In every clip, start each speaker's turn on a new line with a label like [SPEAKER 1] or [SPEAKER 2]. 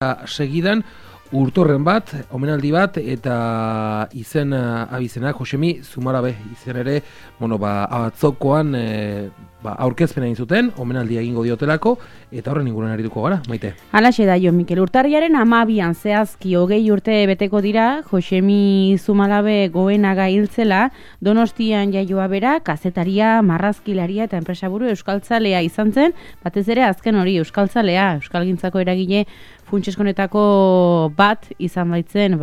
[SPEAKER 1] segidan urtorren bat, omenaldi bat eta izen abizenak Josemi Zumalabe izen ere, atzokoan aurkezpena egin zuten, omenaldia egingo diotelako eta horren inguruan arituko gara, Maite.
[SPEAKER 2] Halaxe da, Jon Mikel, urtarriaren 12an zehazki 20 urte beteko dira Josemi Zumalabe Goenaga hiltzela, Donostian jaioa bera, kazetaria, marrazkilaria eta enpresaburu euskaltzalea izan zen, batez ere azken hori euskaltzalea, euskalgintzako eragile funtseskonetako bat izan baitzen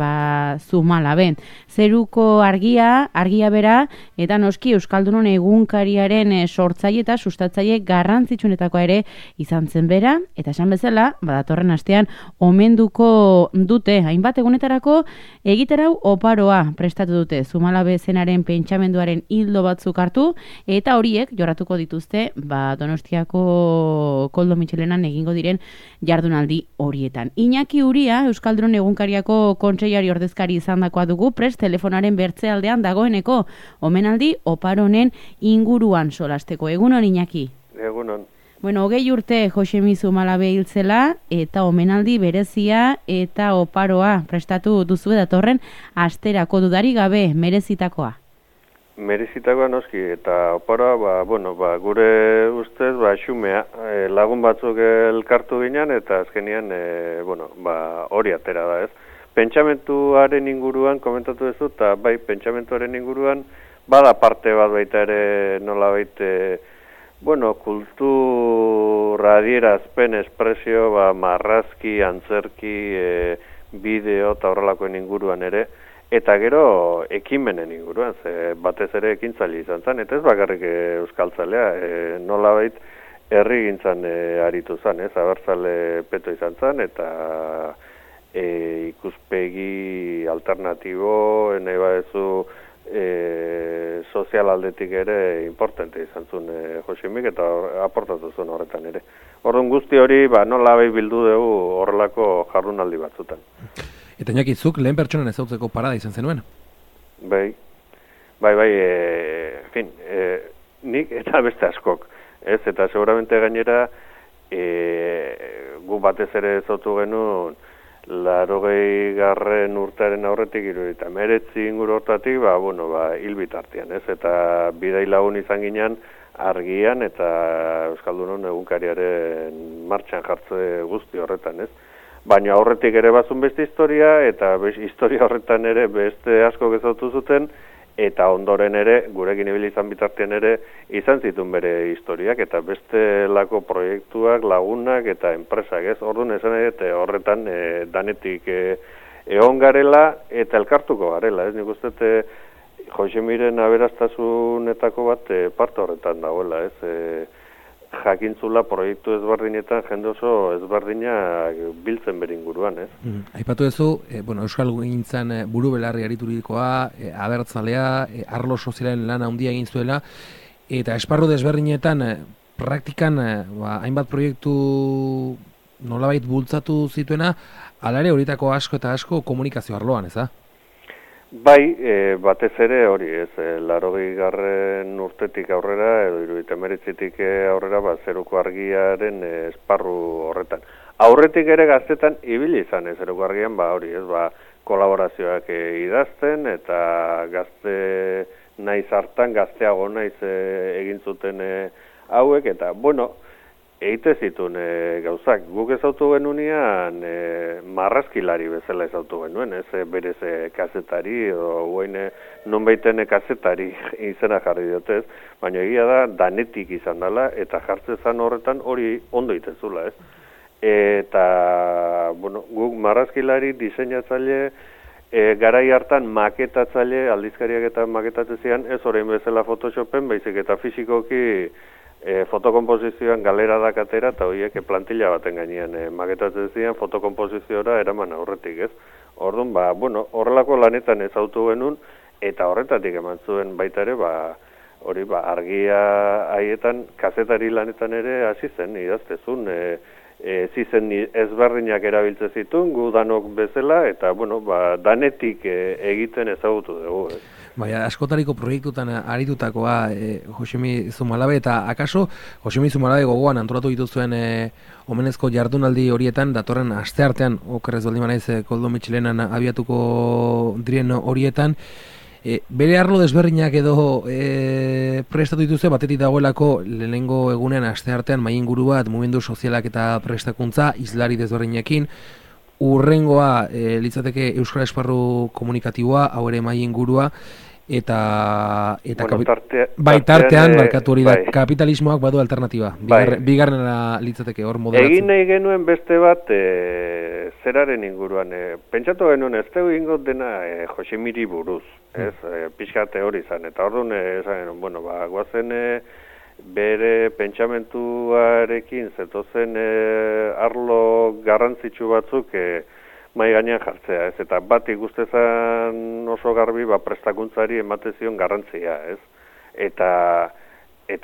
[SPEAKER 2] Zumalabe. Zeruko argia bera, eta noski Euskaldunon egunkariaren sortzaile eta sustatzaile garrantzitsuenetakoa ere izan zen bera, eta esan bezala, datorren astean omenduko dute, hainbat egunetarako egiterau oparoa prestatu dute Zumalabe zenaren pentsamenduaren hildo batzuk hartu, eta horiek jorratuko dituzte Donostiako Koldo Mitxelenan egingo diren jardunaldi horietan. Iñaki Uria, Euskaldun egunkariako kontseilari ordezkari izandakoa dugu, prest telefonaren bertzealdean dagoeneko omenaldi oparonen inguruan solasteko. Egunon, Iñaki?
[SPEAKER 3] Egunon.
[SPEAKER 2] 20 urte Josemi Zumalabe hiltzela eta omenaldi berezia eta oparoa prestatu duzu datorren asterako dudari gabe merezitakoa.
[SPEAKER 3] Merezitakoa noski, eta oparoa, gure ustez, xumea, lagun batzuk elkartu ginen, eta azkenian, hori atera da, ez? Pentsamentuaren inguruan, komentatu duzu, eta pentsamentuaren inguruan, bada parte bat baita ere, nola baita, kultura adierazpen, espresio, marrazki, antzerki, bideo, eta horrelakoen inguruan ere, eta gero ekimenen inguruan, batez ere ekintzaile izan zen, eta ez bakarrik euskaltzalea, nolabait herri gintzan aritu zen, abertzale peto izan zen, eta ikuspegi alternatibo, nahi badezu sozial aldetik ere importante izan zuen Josemik, eta aportatu zuen horretan ere. Orduan guzti hori, nolabait bildu dugu horrelako jardunaldi batzutan.
[SPEAKER 1] Eta Iñaki, zuk lehen pertsonan ezautzeko parada izan zenuen?
[SPEAKER 3] Bai, nik eta beste askok, ez? Eta seguramente gainera, gu batez ere ezautu genuen, 80. urtearen aurretik 79 inguru hortatik, hil bitartean, ez? Eta bidai lagun izan ginen argian eta Euskaldunon egunkariaren martxan jartze guzti horretan, ez? Baina aurretik ere bazun beste historia, eta historia horretan ere beste asko gezautu zuten, eta ondoren ere, gurekin ibili izan bitartean ere, izan zituen bere historiak, eta beste lako proiektuak, lagunak eta enpresak, ez? Orduan esan ere, horretan danetik egon garela eta elkartuko garela, ez? Nik uste Josemiren aberastasunetako bat parte horretan dagoela, ez? Jakintzula proiektu ezberdinetan jende oso ezberdinak biltzen beringuruan, ez?
[SPEAKER 1] Aipatu duzu, Euskal gintzan buru belarri ariturikoa, abertzalea, arlo sozialen lan handia egin zuela, eta esparru desberdinetan praktikan hainbat proiektu nolabait bultzatu zituena, hala ere horietako asko eta asko komunikazio arloan, ez da?
[SPEAKER 3] Bai, batez ere hori, ez, 80. urtetik aurrera, edo 79tik aurrera, zeruko argiaren esparru horretan. Aurretik ere gaztetan ibili izan, zeruko argian, hori, ez, kolaborazioak idazten, eta gazte naiz hartan, gazteago naiz egin zuten hauek, eta, egite zituen gauzak. Guk ezautu genunean marrazkilari bezala ezautu genuen, ez berez kazetari, edo guain non baiten kazetari izena jarri diotez, baina egia da danetik izan dela, eta jartzezan horretan hori ondo itezula, ez? Eta, guk marrazkilari, diseinatzaile, garai hartan maketatzaile, aldizkariak eta maketatzezian, ez orain bezala Photoshopen, baizik eta fisikoki fotokomposizioan galera dakatera, eta horiek plantilla baten gainean maketatzen zian fotokompoziziora eraman aurretik, ez? Orduan, horrelako lanetan ezautu genuen, eta horretatik eman zuen baita ere, hori, argia haietan, kazetari lanetan ere hasi zen, idaztezun, zizen ezberdinak erabiltze zituen, gu danok bezala, eta, danetik egiten ezagutu dugu, ez?
[SPEAKER 1] Baina, askotariko proiektutan aritutakoa Josemi Zumalabe, eta akaso Josemi Zumalabe gogoan antolatu dituzuen omenezko jardunaldi horietan, datorren asteartean, okerrez baldin manaiz Koldo Mitxelenan abiatuko diren horietan, bere arlo desberdinak edo prestatu dituzte, batetik dagoelako lehenengo egunean asteartean mainguru bat mugimendu sozialak eta prestakuntza islari desberdinekin, urrengoa litzateke Euskal Esparru komunikatiboa, hau ere maingurua, eta tartean barkatu hori da, kapitalismoak badu alternatiba, bigarrena litzateke hor moderatzen.
[SPEAKER 3] Egin nahi genuen beste bat zeraren inguruan, pentsatu genuen ez tegu ingot dena Josemiri buruz, ez, pixkate hori izan, eta orduan bueno, guazen bere pentsamentuarekin zetozen arlo garrantzitsu batzuk mai gainean jartzea, ez, eta bat ikustezan oso garbi prestakuntzari emate zion garrantzia, ez, eta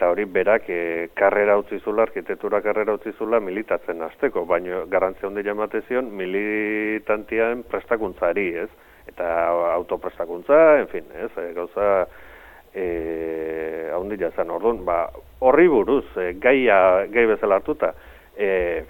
[SPEAKER 3] hori berak karrera utzi zula, arkitektura karrera utzi zula militatzen hasteko, baina garrantzia handia emate zion militantian prestakuntzari, ez, eta autoprestakuntza, en fin, ez, gauza handia zen, orduan, horri buruz, gai bezala hartuta,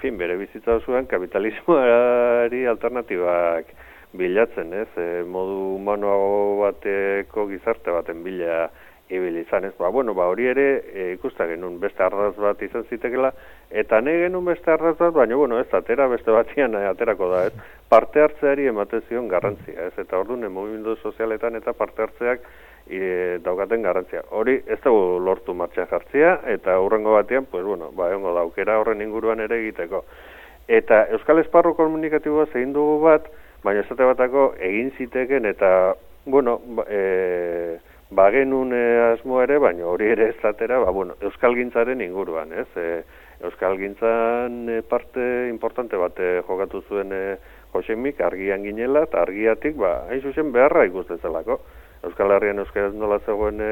[SPEAKER 3] fin, bere bizitza zuen kapitalismoari alternatibak bilatzen, ez, modu humanoago bateko gizarte baten bila ibili izan, ez, hori ere ikusta genuen beste arraz bat izan zitekela, eta nahi genuen beste arraz bat, baina, ez atera beste batian aterako da, ez, parte hartzeari emate zion garrantzia, ez, eta orduan mugimendu sozialetan eta parte hartzeak daukaten garrantzia. Hori ez dugu lortu martxan jartzea, eta hurrengo batean, egongo da aukera horren inguruan ere egiteko. Eta Euskal Esparru komunikatiboa zein dugu bat, baina esate batako egin ziteken, eta, bagenun asmoa ere, baina hori ere ez zatera, Euskalgintzaren inguruan, ez? Euskalgintzan parte importante bat jokatu zuen Josemik, argian ginela, eta argiatik, hain zuzen beharra ikustezelako. Euskal Herrian euskaraz nola zegoen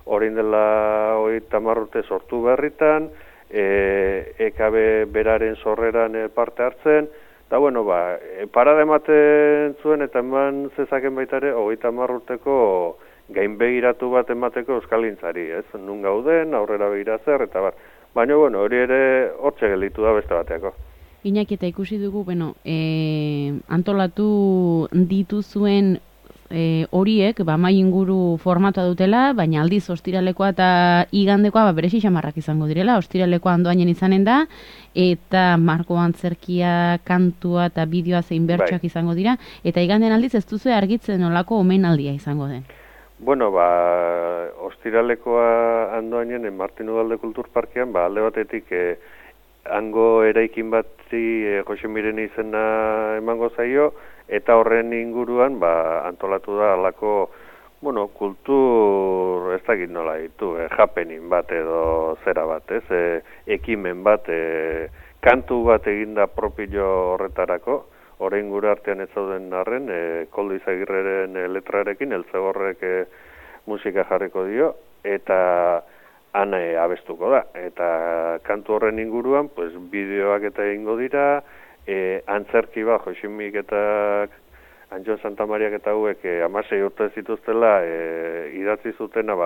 [SPEAKER 3] orain dela 30 urte sortu berritan, EKB beraren sorreran parte hartzen, eta parada ematen zuen eta eman zezaken baita ere 30 urteko gainbegiratu bat emateko euskalgintzari, ez? Nun gauden, aurrera begira zer, eta baina hori ere hortxe gelditu da beste bateako.
[SPEAKER 2] Iñaki, eta ikusi dugu, antolatu dituzuen horiek, mai inguru formatua dutela, baina aldiz ostiralekoa eta igandekoa beresi xamarrak izango direla, ostiralekoa andoainen izanen da, eta Marko Antzerkia kantua eta bideoa zein bertsoak izango dira, eta igandean aldiz ez duzu argitzen nolako omenaldia izango den.
[SPEAKER 3] Ostiralekoa andoainen Martin Ugalde Kulturparkean, alde batetik hango eraikin bati Josemiren izena emango zaio, eta horren inguruan antolatu da alako kultur, ez dakit nola ditu, happening bat edo zera bat, ez, ekimen bat, kantu bat eginda propio horretarako, horrein gure artean ez zauden arren, Koldo Izagirreren letrarekin, Eltzegorrek musika jarriko dio, eta han abestuko da, eta kantu horren inguruan, bideoak eta egingo dira, antzerki Josemik eta Antxon Santamariak eta hauek 16 urte zituztela idatzi zutena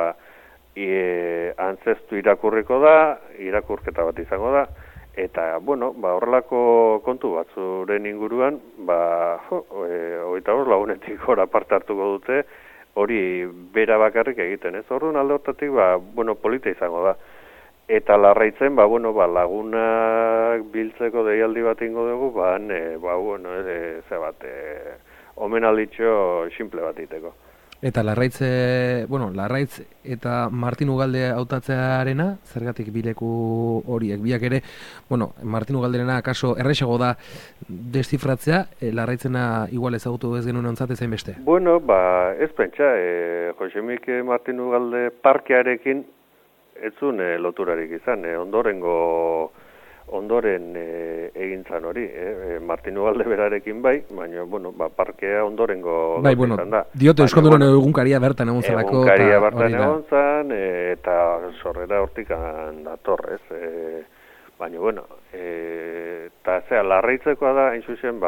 [SPEAKER 3] antzeztu irakurriko da, irakurketa bat izango da, eta horrelako kontu batzuren inguruan 25 lagunetik gora parte hartuko dute, hori bera bakarrik egiten, ez? Orduan alde hortatik polita izango da. Eta Larraitzen, lagunak biltzeko deialdi bat ingo dugu, omenalditxo simple bat iteko.
[SPEAKER 1] Eta Larraitz eta Martin Ugalde hautatzearena, zergatik bileku horiek, biak ere, Martin Ugalderena akaso erresago da deszifratzea, Larraitzena igual ezagutu ez genuen ontzat ezain beste?
[SPEAKER 3] Ez pentsa, Josemik Martin Ugalde parkearekin ez zuen loturarik izan, ondoren egintzan hori, Martin Ugalde berarekin baina, parkea ondorengo izan da.
[SPEAKER 1] Diote Euskaldunon egunkaria bertan egon zelako.
[SPEAKER 3] Egunkaria bertan egon zan, eta sorrera hortikan datorrez. Baina, eta Larraitzekoa da, hain zuzen,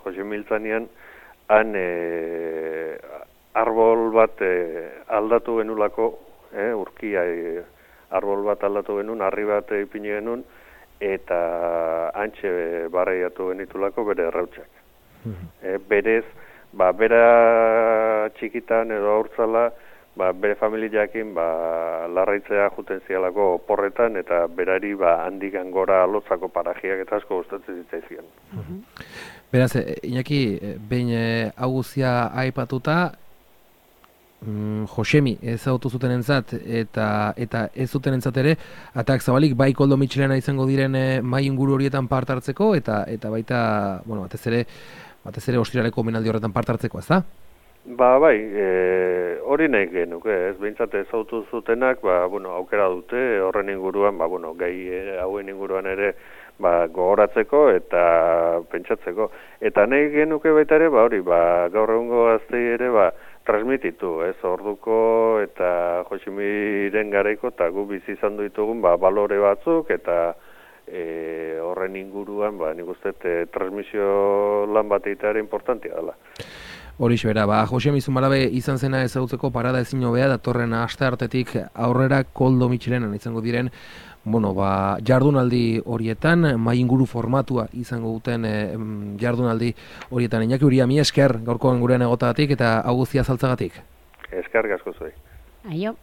[SPEAKER 3] Jose Miltzanian, arbol bat aldatu genulako, urkia arbol bat aldatu genuen, harri bat ipini genuen, eta antxe barreiatu genitulako bere errautsak. Berez, bera txikitan edo aurtzala, bere familiakin larraitzea juten zialako porretan, eta berari handikan gora lotzako parajiak eta asko gustatzen zitzaizkion.
[SPEAKER 1] Beraz, Iñaki, behin hau guztia aipatuta, Josemi ezagutu zuten entzat eta ez zuten entzat ere, atak zabalik bai Koldo Mitxelena izango diren mai inguru horietan part hartzeko eta baita, batez ere ostiraleko omenaldi horretan part hartzeko, ez da?
[SPEAKER 3] Bai, hori nahi genuke, ez behintzat ezagutu zutenak, aukera dute horren inguruan, gai hauen inguruan ere gogoratzeko eta pentsatzeko. Eta nahi genuke baita ere, gaur egungo gaztei ere, transmititu, ez, orduko eta Josemiren garaiko eta gu bizi izan ditugun balore batzuk eta horren inguruan nik uste transmisio lan bat egitea importantea dela.
[SPEAKER 1] Horixe bera, Josemi Zumalabe izan zena ezagutzeko parada ezin hobea datorren asteartetik aurrera Koldo Mitxelenan izango diren jardunaldi horietan, mai inguru formatua izango duten jardunaldi horietan. Iñaki Uria, mi esker gaurkoan gurean egotagatik eta hau guztia saltzagatik.
[SPEAKER 3] Esker asko zuei.
[SPEAKER 2] Aio.